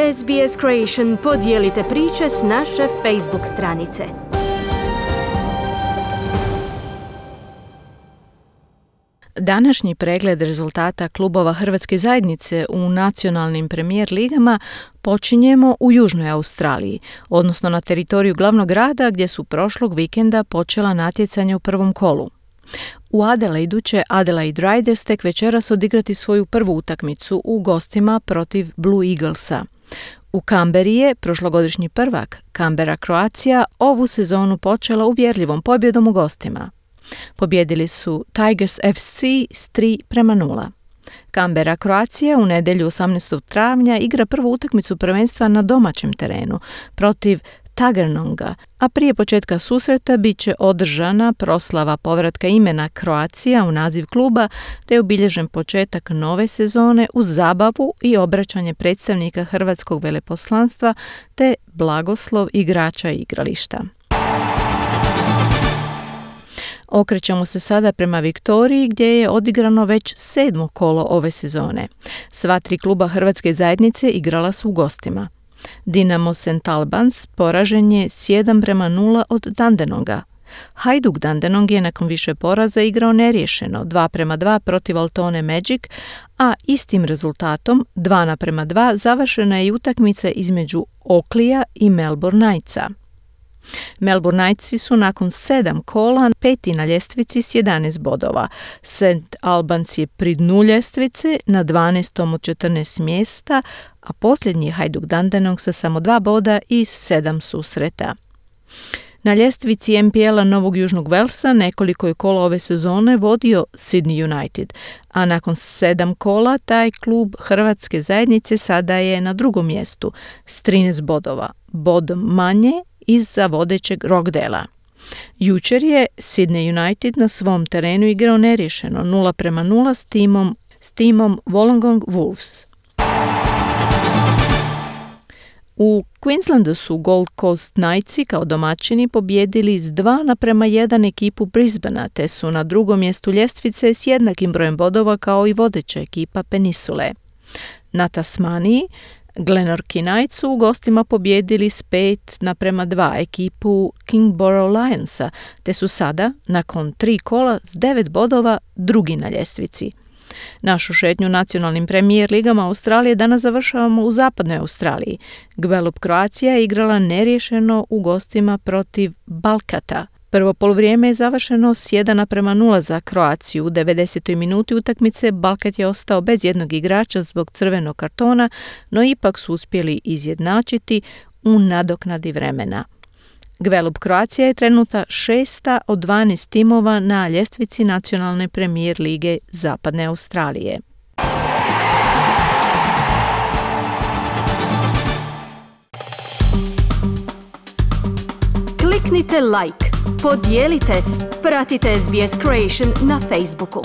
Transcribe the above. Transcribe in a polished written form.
SBS Creation podijelite priče s naše Facebook stranice. Današnji pregled rezultata klubova Hrvatske zajednice u nacionalnim premijer ligama počinjemo u Južnoj Australiji, odnosno na teritoriju glavnog grada gdje su prošlog vikenda počela natjecanja u prvom kolu. U Adelaidu će Adelaide Riders tek večeras odigrati svoju prvu utakmicu u gostima protiv Blue Eaglesa. U Kamberi je prošlogodišnji prvak Canberra Croatia ovu sezonu počela uvjerljivom pobjedom u gostima. Pobjedili su Tigers FC s 3-0. Canberra Croatia u nedjelju 18. travnja igra prvu utakmicu prvenstva na domaćem terenu protiv Tuggeranonga, a prije početka susreta bit će održana proslava povratka imena Croatia u naziv kluba, te je obilježen početak nove sezone uz zabavu i obraćanje predstavnika Hrvatskog veleposlanstva te blagoslov igrača i igrališta. Okrećemo se sada prema Viktoriji gdje je odigrano već 7. kolo ove sezone. Sva 3 kluba Hrvatske zajednice igrala su u gostima. Dinamo St. Albans poražen je s 1-0 od Dandenonga. Hajduk Dandenong je nakon više poraza igrao neriješeno 2-2 protiv Altone Magic, a istim rezultatom 2-2 završena je i utakmica između Oakleyja i Melbourne Knightsa. Melbourne Knightsi su nakon 7 kola 5. na ljestvici s 11 bodova. St. Albans je pri dnu ljestvice na 12. od 14 mjesta, a posljednji je Hajduk Dandenong sa samo 2 boda i 7 susreta. Na ljestvici NPL-a Novog Južnog Velsa nekoliko je kola ove sezone vodio Sydney United, a nakon 7 kola taj klub Hrvatske zajednice sada je na drugom mjestu s 13 bodova, bod manje iza vodećeg Rockdalea. Jučer je Sydney United na svom terenu igrao neriješeno 0-0 s timom Wollongong Wolves. U Queenslandu su Gold Coast Knightsi kao domaćini pobjedili s 2-1 ekipu Brisbanea, te su na drugom mjestu ljestvice s jednakim brojem bodova kao i vodeća ekipa Peninsule. Na Tasmaniji Glenorchy Knights su u gostima pobjedili s 5-2 ekipu Kingborough Lionsa, te su sada, nakon 3 kola s 9 bodova, drugi na ljestvici. Našu šetnju nacionalnim premijer ligama Australije danas završavamo u zapadnoj Australiji. Gwelup Croatia je igrala neriješeno u gostima protiv Balkata. Prvo poluvrijeme je završeno s 1-0 za Kroaciju. U 90. minuti utakmice Balkat je ostao bez jednog igrača zbog crvenog kartona, no ipak su uspjeli izjednačiti u nadoknadi vremena. Gwelup Croatia je trenuta 6. od 12 timova na ljestvici nacionalne premijer lige Zapadne Australije. Kliknite like, podijelite, pratite SBS Creation na Facebooku.